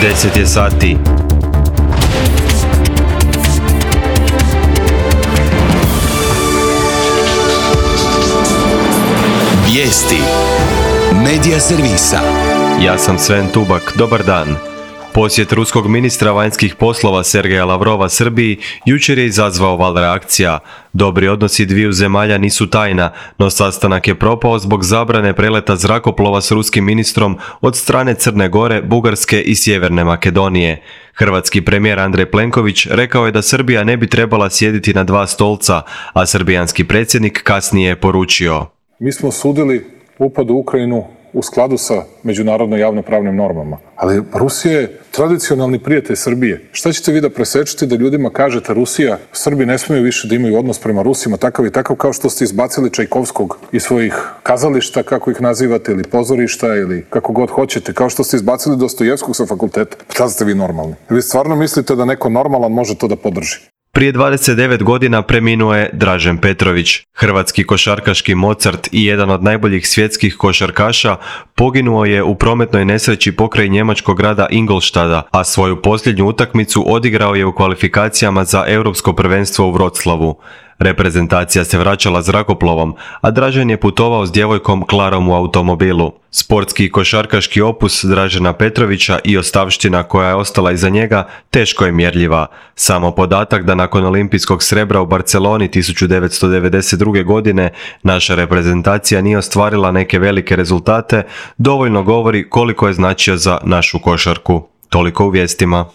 10 je sati. Vijesti Medija servisa. Ja sam Sven Tubak, dobar dan. Posjet ruskog ministra vanjskih poslova Sergeja Lavrova Srbiji jučer je izazvao val reakcija. Dobri odnosi dviju zemalja nisu tajna, no sastanak je propao zbog zabrane preleta zrakoplova s ruskim ministrom od strane Crne Gore, Bugarske i Sjeverne Makedonije. Hrvatski premijer Andrej Plenković rekao je da Srbija ne bi trebala sjediti na dva stolca, a srbijanski predsjednik kasnije je poručio: Mi smo osudili upad u Ukrajinu u skladu sa međunarodno javnopravnim normama. Ali Rusija je tradicionalni prijatelj Srbije. Šta ćete vi da presečete da ljudima kažete Rusija, Srbi ne smiju više da imaju odnos prema Rusima takav i takav, kao što ste izbacili Čajkovskog iz svojih kazališta, kako ih nazivate, ili pozorišta, ili kako god hoćete, kao što ste izbacili Dostojevskog sa fakulteta. Kada ste vi normalni? Vi stvarno mislite da neko normalan može to da podrži? Prije 29 godina preminuo je Dražen Petrović. Hrvatski košarkaški Mozart i jedan od najboljih svjetskih košarkaša poginuo je u prometnoj nesreći pokraj njemačkog grada Ingolštada, a svoju posljednju utakmicu odigrao je u kvalifikacijama za europsko prvenstvo u Vroclavu. Reprezentacija se vraćala zrakoplovom, a Dražen je putovao s djevojkom Klarom u automobilu. Sportski i košarkaški opus Dražena Petrovića i ostavština koja je ostala iza njega teško je mjerljiva. Samo podatak da nakon olimpijskog srebra u Barceloni 1992. godine naša reprezentacija nije ostvarila neke velike rezultate, dovoljno govori koliko je značio za našu košarku. Toliko u vijestima.